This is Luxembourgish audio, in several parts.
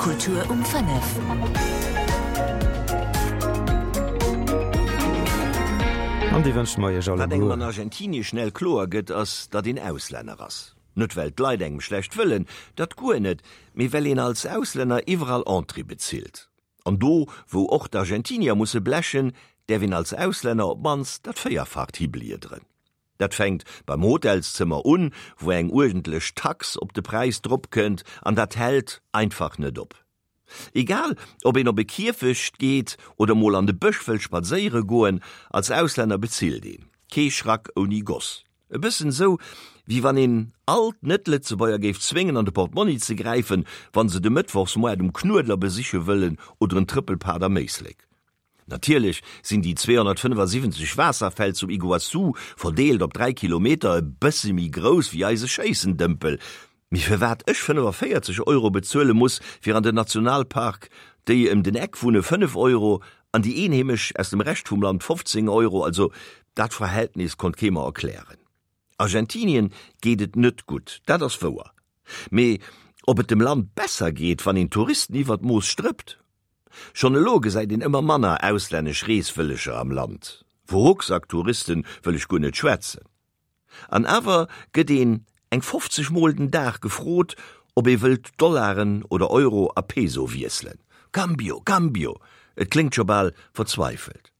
Kultur um 5. An déi wënsche mer iech Wat engem alleguer. an Argentinie schnell kloer gëtt, ass, datt een Auslänner ass. Net well d'Leit engem schlecht wëllen, dat guer net, mee well een als Auslänner iwwerall Entrée bezilt. An do, wou och d'Argentinier musse blechen, däerf een als Auslänner op d'mannst dat Véierfacht hibliederen. Dat fänkt beim Hotelszëmmer un, wou eng uerdentlech Tax op de Präis dropkënnt, an dat hält einfach net op. Egal, ob een op e Kierfecht geet oder mol an de Bësch wëllt spadséiere goen, als Auslänner bezilt een. Kee Schrack ouni Goss. E bëssen esou, wéi wann een all d'Net-Lëtzebuerger géif zwéngen an de Portmonni ze gräifen, wann se de Mëttwochsmoart um Knuedler besiche wëllen oder en Trëppelpad am Éislek. Natierlech sinn déi 275 Waasserfäll zum Iguaçu, verdeelt op 3 Kilometer, e bësse méi grouss wéi eise Schéissendëmpel. Mee firwat ech 45 Euro bezuele muss fir an den Nationalpark, déi ëm den Eck wunne 5 Euro an déi Eenheemesch aus dem Rescht vum Land 15 Euro, also dat Verhältnis konnt kee mer erklären. Argentinien geet et net gutt, dat ass wouer. Mee ob et dem Land besser geet, wann een Touristen iwwer d'Mooss strëppt? Schonn elo gesäit een ëmmer manner auslännesch Reeswëlleger am Land. Vu Rucksacktouristen wëll ech guer net schwätzen. An awer gëtt een eng 50 mol den Dag gefrot, ob ee wëllt Dollaren oder Euro a Peso wiesselen. Cambio, cambio! Et kléngt scho bal verzweifelt.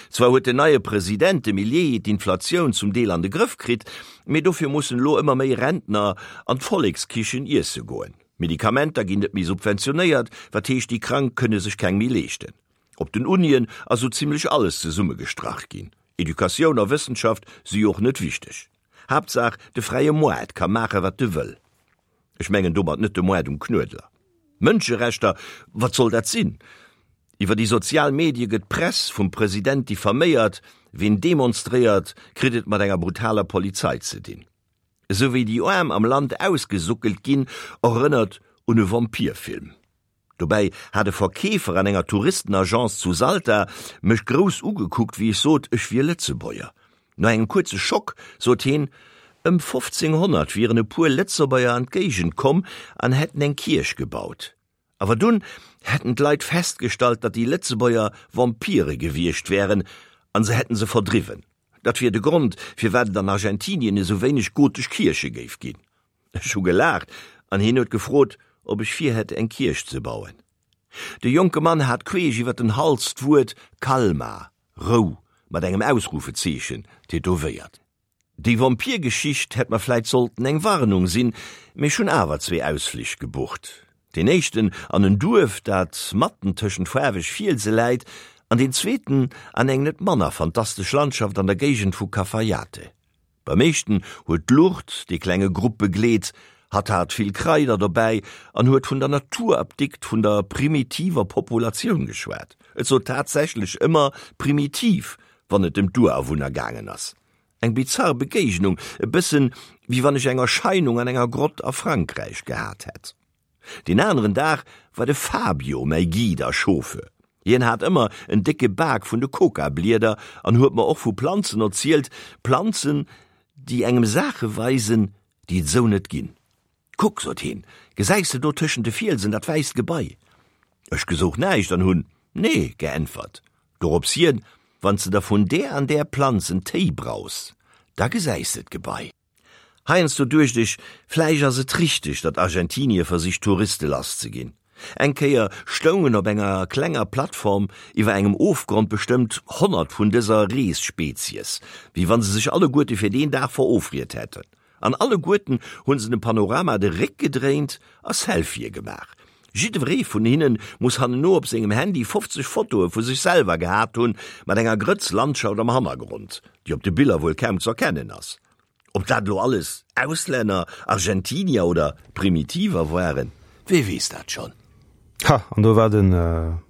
Zwar huet den neie President, de Milei, d'Inflatioun zum Deel an de Grëff kritt, mee dofir mussen elo ëmmer méi Rentner an d'Vollekskichen iesse goen. Medikamenter ginn net méi subventionéiert, wat heescht déi Krank kënne sech keng méi leeschten. Op den Unien ass sou zimmlech alles zesummegestrach ginn. Educatioun a Wëssenschaft si jo och net wichteg. Haaptsaach de fräie Moart ka maache wat e wëll. Ech mengen domat net de Moart um Knuedler. Mënscherechter, wat soll dat sinn? Iwwer déi sozial Medie gëtt d'Press vum President diffaméiert, ween demonstréiert, kritt et mat enger brutaler Polizei ze dinn. Esou wéi déi Aarm am Land ausgesuckelt ginn, erënnert un e Vampirfilm. Dobäi hat e Verkeefer an enger Touristenagence zu Salta mech grouss ugekuckt, wéi ech sot, ech wier Lëtzebuerger. No engem kuerze Schock sot heen, ëm 1500 wieren e puer Lëtzebuerger an d'Géigend komm an hätten eng Kierch gebaut. Awer dunn hätten d'Leit festgestallt, datt déi Lëtzebuerger Vampire gewiescht wären an se hätten se verdriwwen. Dat wier de Grond, firwat et an Argentinien esou wéineg gotesch Kierche géif ginn. Ech hu gelaacht an hien huet gefrot, ob ech virhätt, eng Kierch ze bauen. De jonke Mann hat queesch iwwer den Hals d'Wuert Calma, Rou, mat engem Ausrufezeechen tätowéiert. Déi Vampirgeschicht hätt mer vläit sollten eng Warnung sinn, mee ech hunn awer zwee Ausflich gebucht. Deen éischten an en Duerf, dat matten tëschent faarweg Fielse läit, an deen zweeten an eng net manner fantastesch Landschaft an der Géigend vu Cafayate. Beim éischten huet d'Lucht dee klenge Grupp begleet, hatt hat vill Kraider dobäi an huet vun der Naturapdikt vun der primitiver Populatioun geschwat. Et sot tatsächlech ëmmer primitiv, wann et ëm d'Urawunner gaangen ass. Eng bizarr Begéignung, e bëssen wéi wann ech eng Erscheinung an enger Grott a Frankräich gehat hätt. Deen aneren Dag war de Fabio mäi Guide a Chauffeur. Hien hat ëmmer en décke Bak vun de Coca-Blieder an huet mer och vu Planzen erzielt, Planzen, déi engem Saache weisen, déi et esou net ginn. Kuck, sot hien, gesäis de do tëschent de Fielsen dat wäisst Gebai? Ech gesouch näischt an hunn Nee geäntwert. Dorops hien, Wann s de der vun där an där Planz en Téi braus, da gesäis de d'Gebai. Heiansdo duecht ech, vläicht ass et richteg, datt Argentinie versicht Touriste lass ze ginn. Eng Kéier stoungen op enger klenger Plattform iwwer engem Ofgrond bestëmmt 100 vun dëser Reesspezies, wéi wann se sech alleguerte fir deen Dag verofriet hätten. An alleguerten hunn se dem Panorama de Réck gedréint a Selfië gemaach. Jiddweree vun hinne muss hanneno op sengem Handy 50 Fotoe vu sech selwer gehat hunn, mat enger Grëtz Landschaft am Hannergrond, déi op de Biller wuel kaum z'erkennen ass. Ob dat elo alles Auslänner, Argentinier oder Primitiver waren, wee weess dat schonn. Ha, an do war de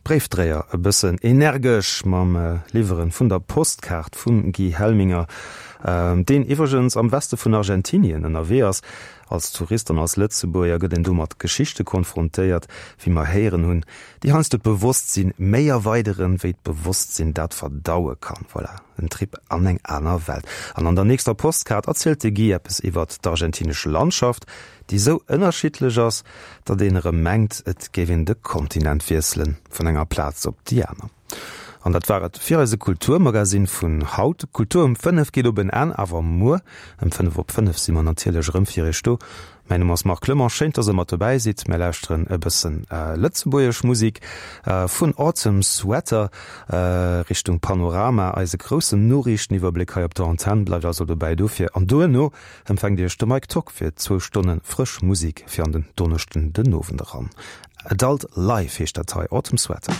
Bréifdréier e bëssen energesch mam Liwweren vun der Postkaart vum Guy Helminger. Deen iwwregens am Weste vun Argentinien ënnerwee ass. Als Tourist an als Lëtzebuerger gëtt een do mat Geschichte konfrontéiert, wéi mer héieren hunn, déi heiansdo d'Bewosstsinn méi erweideren, wéi d'Bewosstsinn dat verdaue kann. Voilà, en Trip an eng aner Welt. An an der nächster Postkaart erzielt de Guy eppes iwwert d'argentinesch Landschaft, déi esou ënnerschiddlech ass, datt een erëm mengt, et géif een de Kontinent wiesselen, vun enger Plaz op déi aner. An dat war et fir eise Kulturmagasinn vun haut. Kultur um 5 geet op en Enn, awer muer ëm 5 op 5 si mer natierlech erëm fir iech do. Mäin Numm ass Marc Clement, schéin dass der mat dobäi sidd. Mär lauschteren e bëssen lëtzebuergesch Musik vun Autumn Sweater Richtung Panorama, eise groussen Noriichteniwwerbléck hei op der Antenn. Bleift also dobäi dofir an duerno empfänkt iech de Mike Tock fir zwou Stonne frësch Musik fir an den Donneschden den Owend eran. Adult Life heescht dat hei, Autumn Sweater.